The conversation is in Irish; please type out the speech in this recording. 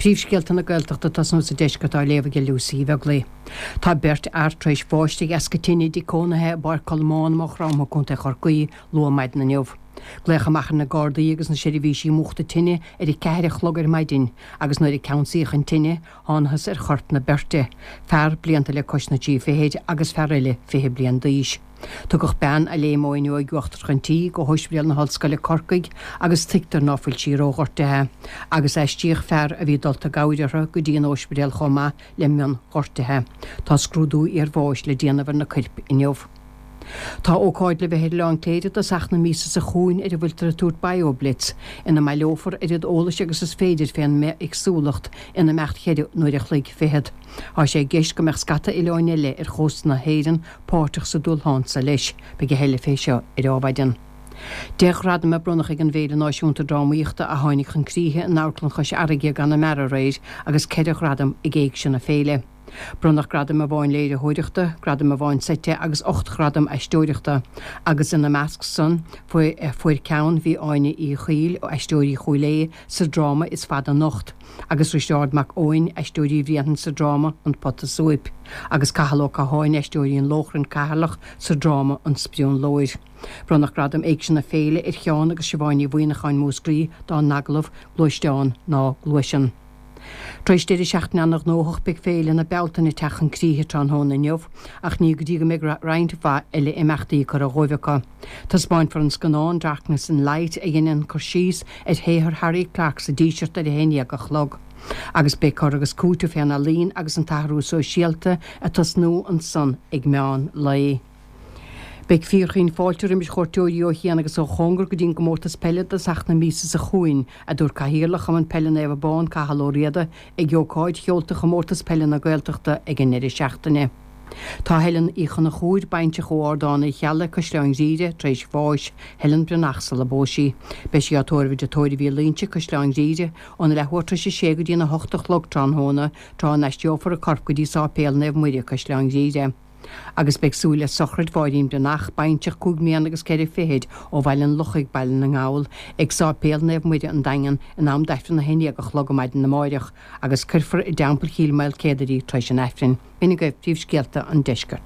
Príomhscéalta na Gaeltachta ag tosnú sa deisceart á léamh ag Lucy Uí Bheaglaoich. Tá beirt fhear tar éis bháis de dheasca tine i dtigh cónaithe i bPáirc Cholmáin i Maigh Chromtha, Co. Chorcaí, luath maidin inniu. Glaodh amach ar na Gardaí agus na seirbhísí múchta tine ar a ceathair a chlog ar maidin agus nuair a ceansaíodh an tine, thángthas ar choirp na beirte, fear blianta le cois na dtrí fichid agus fear eile 20 bliain d'aois. Tugadh bean a léim ó fhuinneoig uachtarach an tí go hOspidéal na hOllscoile Corcaigh agus tuigtear ná fuil sí róghortaithe, agus aistríodh fear a bhí dulta i gcabhair uirthi go dtí an óispidéal chomh maith le mionghortuithe. Tá scrúdú iarbháis le déanamh ar na coirp inniu. Tá ócáid le bheith ar Oileán Cléire i dtosach na míosa seo chugainn ar a bhfuiltear ag tabhairt BioBlitz, ina mbaileofar oiread eolais agus is féidir fén mbithéagsúlacht in imeacht cheithre n-uair a chloig fichead. Tá sé i gceist go mbeadh scata oileáin eile ar chósta na hÉireann páirteach sa dúshlán seo leis. Beidh a thuilleadh fé seo ar Adhmhaidin. 10 ghradam a bronnadh ag an bhFéile Náisiúnta Drámaíochta a tháinig chun críche in Amharclann Chois Fharraige i gConamara aréir agus 4 ghradam ag Éigse na Féile. Bronnadh gradaim amháin léiritheoireachta, gradam amháin seite agus 8 ghradam aisteoireachta agus ina measc san fuair ceann bhí Áine Uí Chaoill, Aisteoirí Chúil Aodha, sa dráma Is Fada Anocht agus Risteárd Mac Eoin, Aisteoirí Bhréanainn sa dráma An Pota Súip agus Cathal Ó Catháin, Aisteoirí an Lóchrainn, Ceatharlach, sa dráma An Sprionlóir. Bronnadh Gradam Éigse na Féile ar Sheán agus Siobhán Ní Mhuimhneacháin, Múscraí, dá n-agallamh Gluaisteán ná Gluaiseann. Tar éis deireadh seachtaine ana-ghnóthach beidh Féile na Bealtaine ag teacht chun críche tráthnóna inniu ach ní go dtí go mbeidh roinnt mhaith eile imeachtaí curtha dhóibh acu. Taispeáinfear an scannán Darkness and Light a dheineann cur síos ar shaothar Harry Clarke sa Díseart ar a haon dhéag a chlog. Agus beidh cur agus cúiteamh fén ealaín agus an t-athrú sóisialta ag tosnú ansan ag meán lae. Beidh fíorchaoin fáilte roimis chuairteoirí ó chian agus ó chóngar go dtí an gcomórtas peile i dtosach na míosa seo chugainn, a dúirt Cathaoirleach Chumann Peile Naomh Abán, Cathal Ó Riada, ag ócáid sheolta Chomórtas Peile na Gaeltachta ag an ndeireadh seachtaine. Tá Helen Uí Chonchúir, baintreach ó Ardán Uí Cheallaigh, Caisleán Ghriaire, tar éis bháis, Helen Breathnach sula bpós sí. Beidh sí á tórramh i dTigh Tórraimh Uí Loingsigh, Caisleán Ghriaire, óna leathuair tar éis a sé go dtína hocht a chlog tráthnóna, tráth a n-aistreofar a corp go dtí Sáipéal Naomh Muire, Caisleán Ghriaire. Agus beidh súil le sochraid Mháirín Breathnach, baintreach cúig mbliana agus ceithre fichid ó Bhaile an Lochaigh, Baile na nGall, ag Sáipéal Naomh Muire an Daingean in am d'Aifreann 11 a chlog maidin amáireach, agus cuirfear i dTeampall Chill Maoilcéadair í tar éis an Aifrinn. B'in agaibh príomhscéalta an deiscirt.